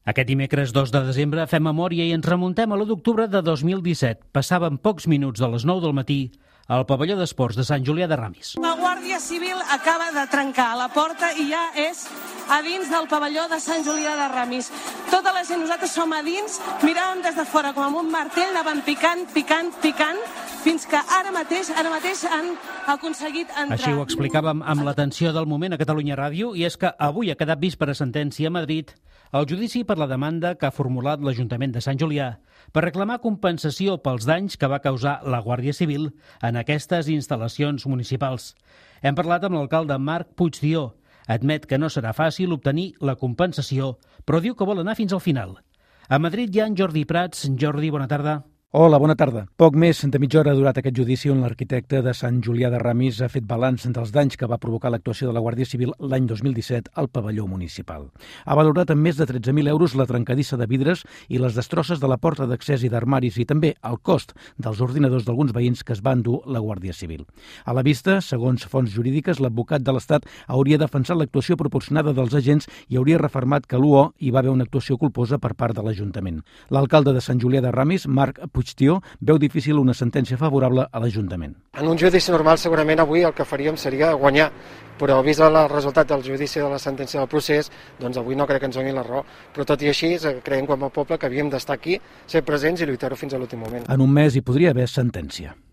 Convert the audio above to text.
Aquest dimecres 2 de desembre fem memòria i ens remuntem a l'1 d'octubre de 2017. Passaven pocs minuts de les 9 del matí al pavelló d'esports de Sant Julià de Ramis. La Guàrdia Civil acaba de trencar la porta i ja és a dins del pavelló de Sant Julià de Ramis. Tota la gent, nosaltres som a dins, miràvem des de fora com amb un martell, anaven picant, fins que ara mateix han aconseguit entrar. Així ho explicàvem amb l'atenció del moment a Catalunya Ràdio, i és que avui ha quedat vist per a sentència a Madrid el judici per la demanda que ha formulat l'Ajuntament de Sant Julià per reclamar compensació pels danys que va causar la Guàrdia Civil en aquestes instal·lacions municipals. Hem parlat amb l'alcalde Marc Puigdió. Admet que no serà fàcil obtenir la compensació, però diu que vol anar fins al final. A Madrid hi ha en Jordi Prats. Jordi, bona tarda. Hola, bona tarda. Poc més de mitja hora ha durat aquest judici on l'arquitecte de Sant Julià de Ramis ha fet balanç dels danys que va provocar l'actuació de la Guàrdia Civil l'any 2017 al pavelló municipal. Ha valorat en més de 13.000 euros la trencadissa de vidres i les destrosses de la porta d'accés i d'armaris, i també el cost dels ordinadors d'alguns veïns que es van dur la Guàrdia Civil. A la vista, segons fonts jurídiques, l'advocat de l'Estat hauria defensat l'actuació proporcionada dels agents i hauria refermat que l'UO hi va haver una actuació culposa per part de l'Ajuntament. L'alcalde de Sant Julià de Ramis, Marc Puigdió, veu difícil una sentència favorable a l'Ajuntament. En un judici normal segurament avui el que faríem seria guanyar, però vist el resultat del judici de la sentència del procés, doncs avui no crec que ens doni la raó. Però tot i així creiem com a poble que havíem d'estar aquí, ser presents i lluitar-ho fins a l'últim moment. En un mes hi podria haver sentència.